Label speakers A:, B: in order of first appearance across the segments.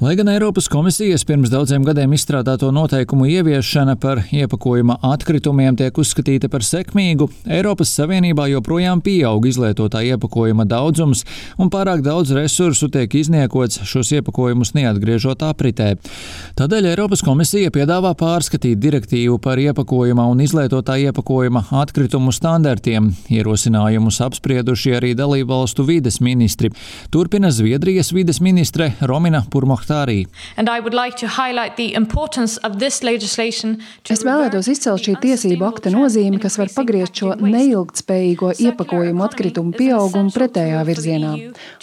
A: Lai gan Eiropas komisijas pirms daudziem gadiem izstrādāto noteikumu ieviešana par iepakojuma atkritumiem tiek uzskatīta par sekmīgu, Eiropas Savienībā joprojām pieaug izlietotā iepakojuma daudzums un pārāk daudz resursu tiek izniekots šos iepakojumus neatgriežot apritē. Tādēļ Eiropas komisija piedāvā pārskatīt direktīvu par iepakojuma un izlietotā iepakojuma atkritumu standartiem. Ierosinājumus apsprieduši arī dalībvalstu vides ministri. Turpina Zviedrijas vides ministre Romina Purmohtāri.
B: Es vēlētos izcelt šī tiesību akta nozīmi, kas var pagriezt šo neilgtspējīgo iepakojumu atkritumu pieaugumu pretējā virzienā.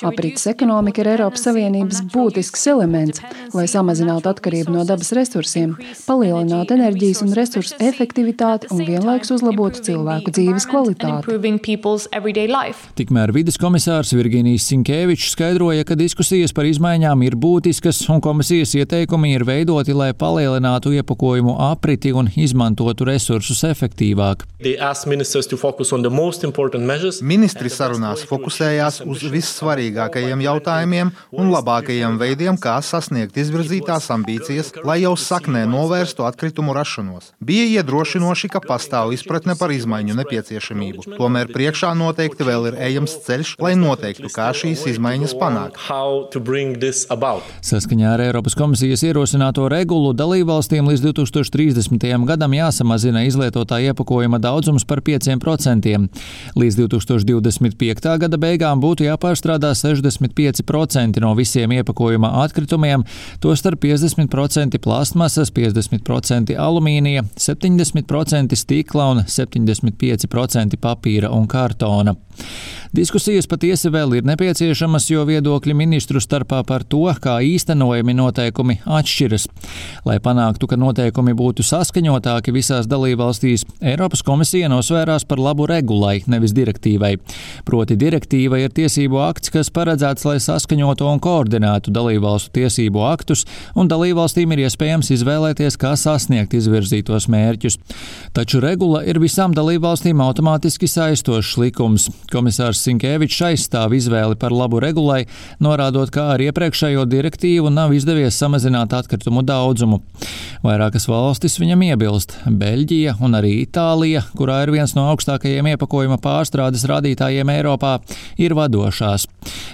B: Aprites ekonomika ir Eiropas Savienības būtisks elements, lai samazinātu atkarību no dabas resursiem, palielinātu enerģijas un resursu efektivitāti un vienlaikus uzlabotu cilvēku dzīves kvalitāti.
A: Tikmēr vides komisārs Virginijs Sinkevičs skaidroja, ka diskusijas par izmaiņām ir būtiskas un komisijas ieteikumi ir veidoti, lai palielinātu iepakojumu apriti un izmantotu resursus efektīvāk.
C: Ministri sarunās fokusējās uz vissvarīgākajiem jautājumiem un labākajiem veidiem, kā sasniegt izvirzītās ambīcijas, lai jau saknē novērstu atkritumu rašanos. Bija iedrošinoši, ka pastāv izpratne par izmaiņu nepieciešamību. Tomēr priekšā noteikti vēl ir ejams ceļš, lai noteiktu, kā šīs izmaiņas panākt.
A: Saskaņā ar Eiropas komisijas ierosināto regulu dalībvalstīm līdz 2030. gadam jāsamazina izlietotā iepakojuma daudzums par 5%. Līdz 2025. gada beigām būtu jāpārstrādā 65% no visiem iepakojuma atkritumiem, tostarp 50% plastmasas, 50% alumīnija, 70% stikla un 75% papīra un kartona. Diskusijas patiesi vēl ir nepieciešamas, jo viedokļi ministru starpā par to, kā īstenojami noteikumi atšķiras. Lai panāktu, ka noteikumi būtu saskaņotāki visās dalībvalstīs, Eiropas komisija nosvērās par labu regulai, nevis direktīvai. Proti direktīva ir tiesību akts, kas paredzēts, lai saskaņotu un koordinētu dalībvalstu tiesību aktus, un dalībvalstīm ir iespējams izvēlēties, kā sasniegt izvirzītos mērķus. Taču regula ir visām dalībvalstīm automātiski saistošs likums. Komisārs Sinkevičs aizstāv izvēli par labu regulai, norādot, kā ar iepriekšējo direktīvu nav izdevies samazināt atkritumu daudzumu. Vairākas valstis viņam iebilst. Beļģija un arī Itālija, kurā ir viens no augstākajiem iepakojuma pārstrādes rādītājiem Eiropā, ir vadošās.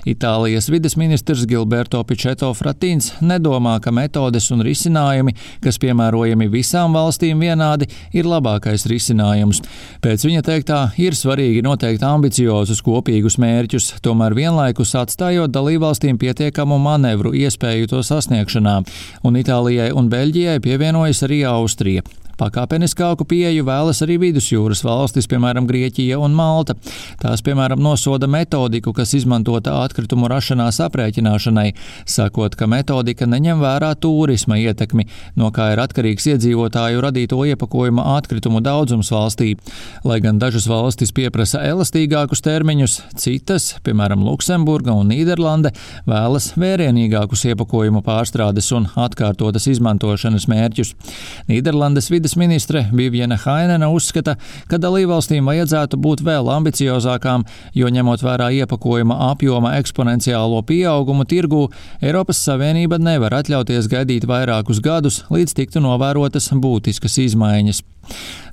A: Itālijas vides ministrs Gilberto Pichetto Fratīns nedomā, ka metodes un risinājumi, kas piemērojami visām valstīm vienādi, ir labākais risinājums. Pēc viņa teiktā ir svarīgi noteikt ambiciozus kopīgus mērķus, tomēr vienlaikus atstājot dalībvalstīm pietiekamu manevru iespēju to sasniegšanā, un Itālijai un Beļģijai pievienojas arī Austrija. Pakāpeniskāku pieeju vēlas arī vidusjūras valstis, piemēram, Grieķija un Malta. Tās, piemēram, nosoda metodiku, kas izmantota atkritumu rašanās aprēķināšanai, sakot, ka metodika neņem vērā turisma ietekmi, no kā ir atkarīgs iedzīvotāju radīto iepakojuma atkritumu daudzums valstī. Lai gan dažas valstis pieprasa elastīgākus termiņus, citas, piemēram, Luksemburga un Nīderlande, vēlas vērienīgākus iepakojumu pārstrādes un atkārtotas izmantošanas mērķus. Nīderlandes vides ministre Viviane Hainena uzskata, ka dalībvalstīm vajadzētu būt vēl ambiciozākām, jo ņemot vērā iepakojuma apjoma eksponenciālo pieaugumu tirgū, Eiropas Savienība nevar atļauties gaidīt vairākus gadus, līdz tiktu novērotas būtiskas izmaiņas.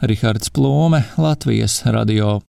A: Rihards Plūme, Latvijas radio.